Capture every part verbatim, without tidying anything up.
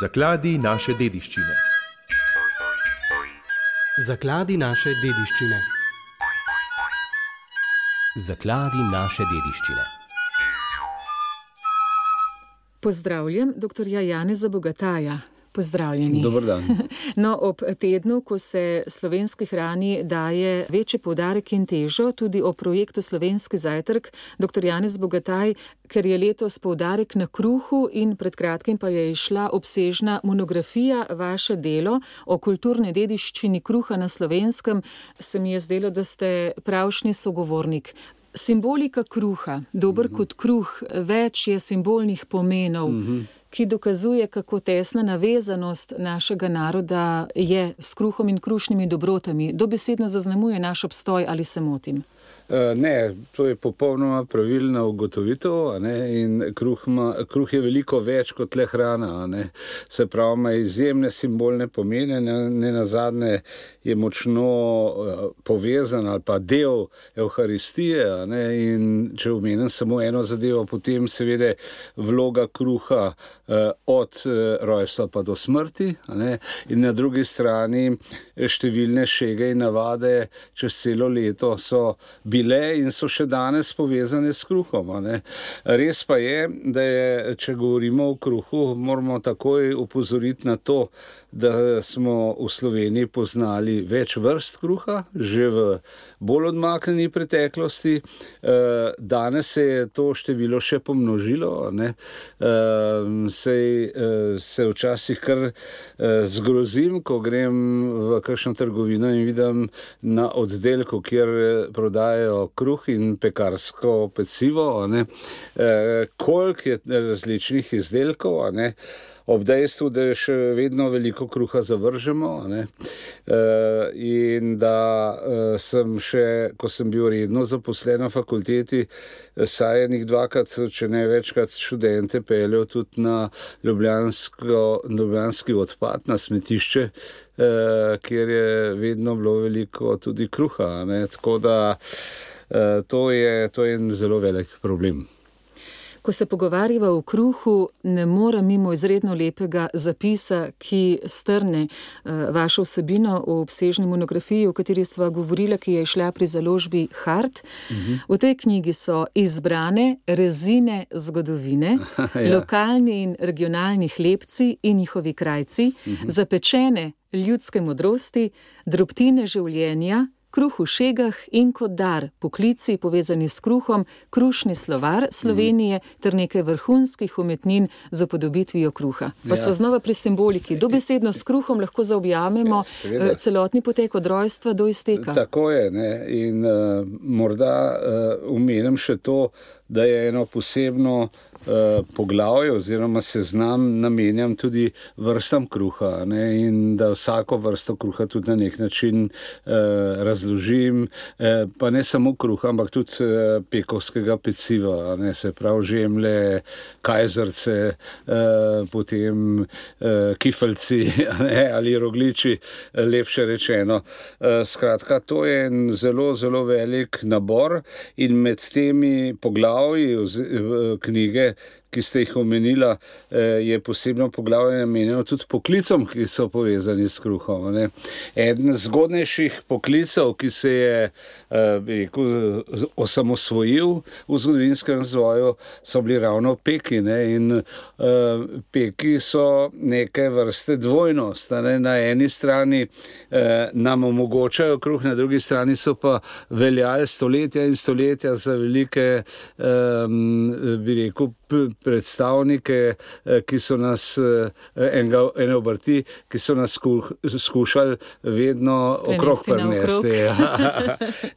Zakladi naše dediščine. Zakladi naše dediščine. Zakladi naše dediščine. Pozdravljam doktorja Janeza Bogataja. Pozdravljeni. Dober dan. No, ob tednu, ko se slovenski hrani daje večji poudarek in težo, tudi o projektu Slovenski zajtrk, doktor Janez Bogataj, ker je letos poudarek na kruhu in pred kratkim pa je išla obsežna monografija vaše delo o kulturni dediščini kruha na Slovenskem, se mi je zdelo, da ste pravšnji sogovornik. Simbolika kruha, dober mm-hmm. kot kruh, več je simbolnih pomenov, mm-hmm. ki dokazuje, kako tesna navezanost našega naroda je s kruhom in krušnimi dobrotami. Dobesedno zaznamuje naš obstoj, ali se motim? Ne, to je popolnoma pravilna ugotovitev, a ne, in kruh, ma, kruh je veliko več kot le hrana, a ne. Se pravi, ima izjemne simbolne pomene, ne, ne nazadnje je močno uh, povezan ali pa del evharistije, a ne, in če omenim samo eno zadevo, potem seveda vloga kruha uh, od uh, rojstva pa do smrti, a ne, in na drugi strani številne šege in navade čez celo leto so bile in so še danes povezane s kruhom. A ne. Res pa je, da je, če govorimo o kruhu, moramo takoj upozoriti na to, da smo v Sloveniji poznali več vrst kruha, že v bolj odmaknjeni preteklosti. Danes se je to število še pomnožilo, ne. Sej se včasih kar zgrozim, ko grem v kakšno trgovino in vidim na oddelku, kjer prodajajo kruh in pekarsko pecivo, ne, koliko je različnih izdelkov, a ne, ob dejstvu, da je še vedno veliko kruha zavržemo, ne, in da sem še, ko sem bil redno zaposlen na fakulteti, saj enih dvakrat, če ne večkrat študente peljal tudi na ljubljansko, ljubljanski odpad, na smetišče, kjer je vedno bilo veliko tudi kruha, ne, tako da to je, to je en zelo velik problem. Ko se pogovarjava o kruhu, ne morem mimo izredno lepega zapisa, ki strne uh, vašo vsebino v obsežni monografiji, o kateri sva govorila, ki je šla pri založbi Hart. Uh-huh. V tej knjigi so izbrane rezine zgodovine, ja. Lokalni in regionalni hlebci in njihovi krajci, uh-huh. zapečene ljudske modrosti, drobtine življenja, kruh v šegah in kot dar, poklici povezani s kruhom, krušni slovar Slovenije mm. ter nekaj vrhunskih umetnin z upodobitvijo kruha. Pa ja. Sva znova pri simboliki. Dobesedno s kruhom lahko zaobjamemo Seveda. celotni potek od rojstva do izteka. Tako je, ne? In uh, morda uh, omenim še to, da je eno posebno Uh, poglavje oziroma seznam namenjam tudi vrstam kruha, ne, in da vsako vrsto kruha tudi na nek način uh, razložim, uh, pa ne samo kruha, ampak tudi uh, pekovskega peciva, ne, se pravi žemlje, kajzerce, uh, potem uh, kifeljci, ne, ali rogliči, lepše rečeno. Uh, skratka, to je en zelo, zelo velik nabor in med temi poglavji uh, knjige, ki ste jih omenila, je posebno poglavje namenjeno tudi poklicom, ki so povezani s kruhom. Ne. Eden zgodnejših poklicov, ki se je rekel, osamosvojil v zgodovinskem razvoju, so bili ravno peki. Ne. In uh, peki so neke vrste dvojnost. Ne. Na eni strani uh, nam omogočajo kruh, na drugi strani so pa veljali stoletja in stoletja za velike, um, bi rekel, predstavnike, ki so nas, enega, ene obrti, ki so nas skušali vedno okrog prinesti.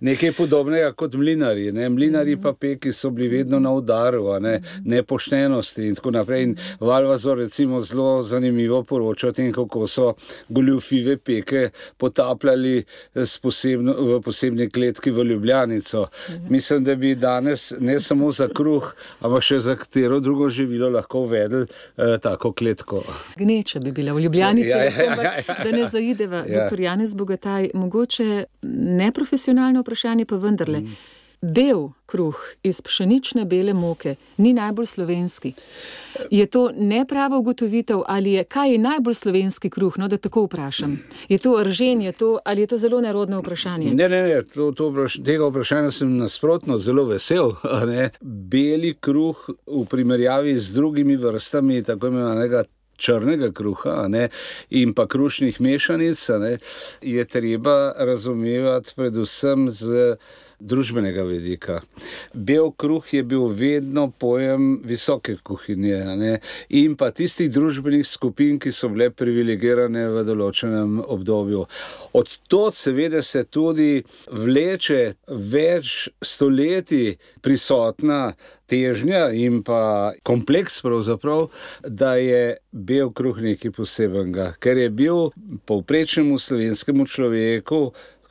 Nekaj podobnega kot mlinari. Ne? Mlinari pa peki so bili vedno na udaru, a ne? Nepoštenosti in tako naprej. In Valvazor recimo zelo zanimivo poroča o tem, kako so goljufive peke potapljali s posebno, v posebni kletki v Ljubljanico. Mislim, da bi danes ne samo za kruh, ampak še za katero drugo živilo lahko uvedli eh, tako kletko. Gneča bi bila v Ljubljanici, ja, ja, ja, ja. da ne zaideva. Ja. Doktor Janez Bogataj, mogoče neprofesionalno vprašanje, pa vendarle. Mm. Bel kruh iz pšenične bele moke ni najbolj slovenski. Je to neprava ugotovitev ali je, kaj je najbolj slovenski kruh, no, da tako vprašam? Je to ržen, je to, ali je to zelo nerodno vprašanje? Ne, ne, ne, to, to vpraš, tega vprašanja sem nasprotno zelo vesel. Ne? Beli kruh v primerjavi z drugimi vrstami tako imenovanega črnega kruha, ne, in pa krušnih mešanic, ne, je treba razumevati predvsem z družbenega vidika. Bel kruh je bil vedno pojem visoke kuhinje, ne, in pa tistih družbenih skupin, ki so bile privilegirane v določenem obdobju. Od tod seveda se tudi vleče več stoletij prisotna težnja in pa kompleks pravzaprav, da je bel kruh nekaj posebenega, ker je bil povprečnemu slovenskemu človeku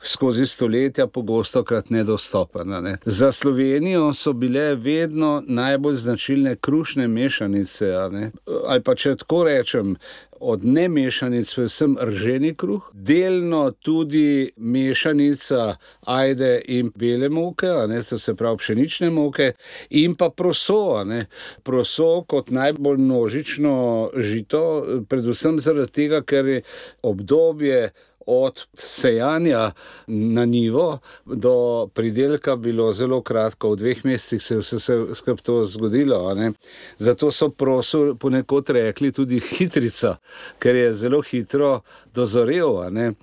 skozi stoletja pogostokrat nedostopen. Ne. Za Slovenijo so bile vedno najbolj značilne krušne mešanice, ne. Ali pa če tako rečem, od nemešanic predvsem rženi kruh, delno tudi mešanica ajde in bele moke, ne, to se pravi pšenične moke, in pa proso, ne. Proso kot najbolj množično žito, predvsem zaradi tega, ker je obdobje od sejanja na njivo do pridelka bilo zelo kratko, v dveh mesecih se je vse skupaj to zgodilo. Ne? Zato so proso ponekod rekli tudi hitrica, ker je zelo hitro dozorel. Ne?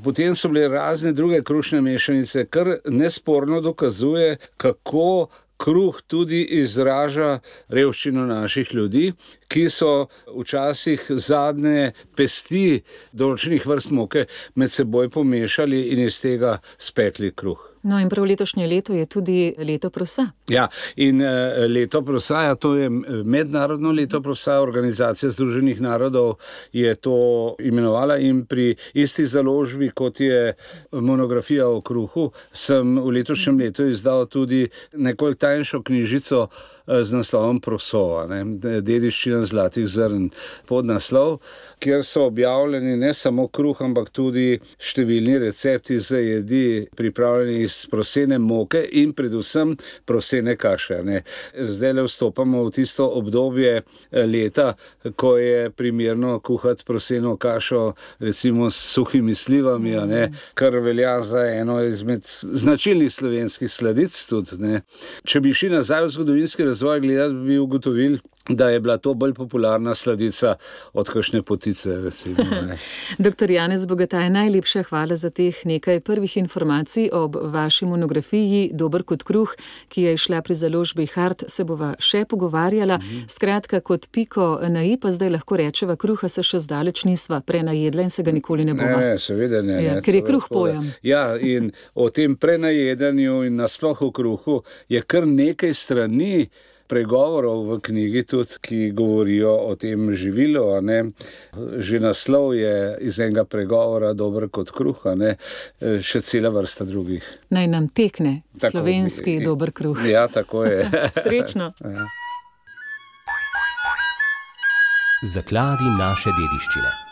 Potem so bile razne druge krušne mešanice, kar nesporno dokazuje, kako kruh tudi izraža revščino naših ljudi, ki so včasih zadnje pesti določenih vrst moke med seboj pomešali in iz tega spekli kruh. No in prav letošnje leto je tudi leto prosa. Ja, in uh, leto prosa, to je mednarodno leto prosa, Organizacija združenih narodov je to imenovala in pri isti založbi, kot je monografija o kruhu, sem v letošnjem letu izdal tudi nekoliko tanjšo knjižico z naslovom Prosova, ne, dediščina zlatih zrn, podnaslov, kjer so objavljeni ne samo kruh, ampak tudi številni recepti za jedi, pripravljeni iz prosene moke in predvsem prosene kaše. Ne. Zdaj le vstopamo v tisto obdobje leta, ko je primerno kuhati proseno kašo recimo s suhimi slivami, ne, kar velja za eno izmed značilnih slovenskih sladic tudi. Ne. Če bi šli nazaj v zgodovinski razvoj gledati, bi ugotovili, da je bila to bolj popularna sladica od kakšne potice, recimo. Ne. Doktor Janez Bogataj, najlepša hvala za teh nekaj prvih informacij ob vaši monografiji Dober kot kruh, ki je išla pri založbi Hart, se bova še pogovarjala. Mm-hmm. Skratka, kot piko na i, pa zdaj lahko rečeva, kruha se še zdaleč nisva prenajedla in se ga nikoli ne bova. Ne, seveda ne. Ja, ne ker je kruh pojem. Ja, in o tem prenajedanju in nasploh o kruhu je kar nekaj strani pregovorov v knjigi tudi, ki govorijo o tem živilu. Ne. Že naslov je iz enega pregovora Dober kot kruh, ne. Še cela vrsta drugih. Naj nam tekne tako, slovenski i, dober kruh. Ja, tako je. Srečno. Ja. Zakladi naše dediščine.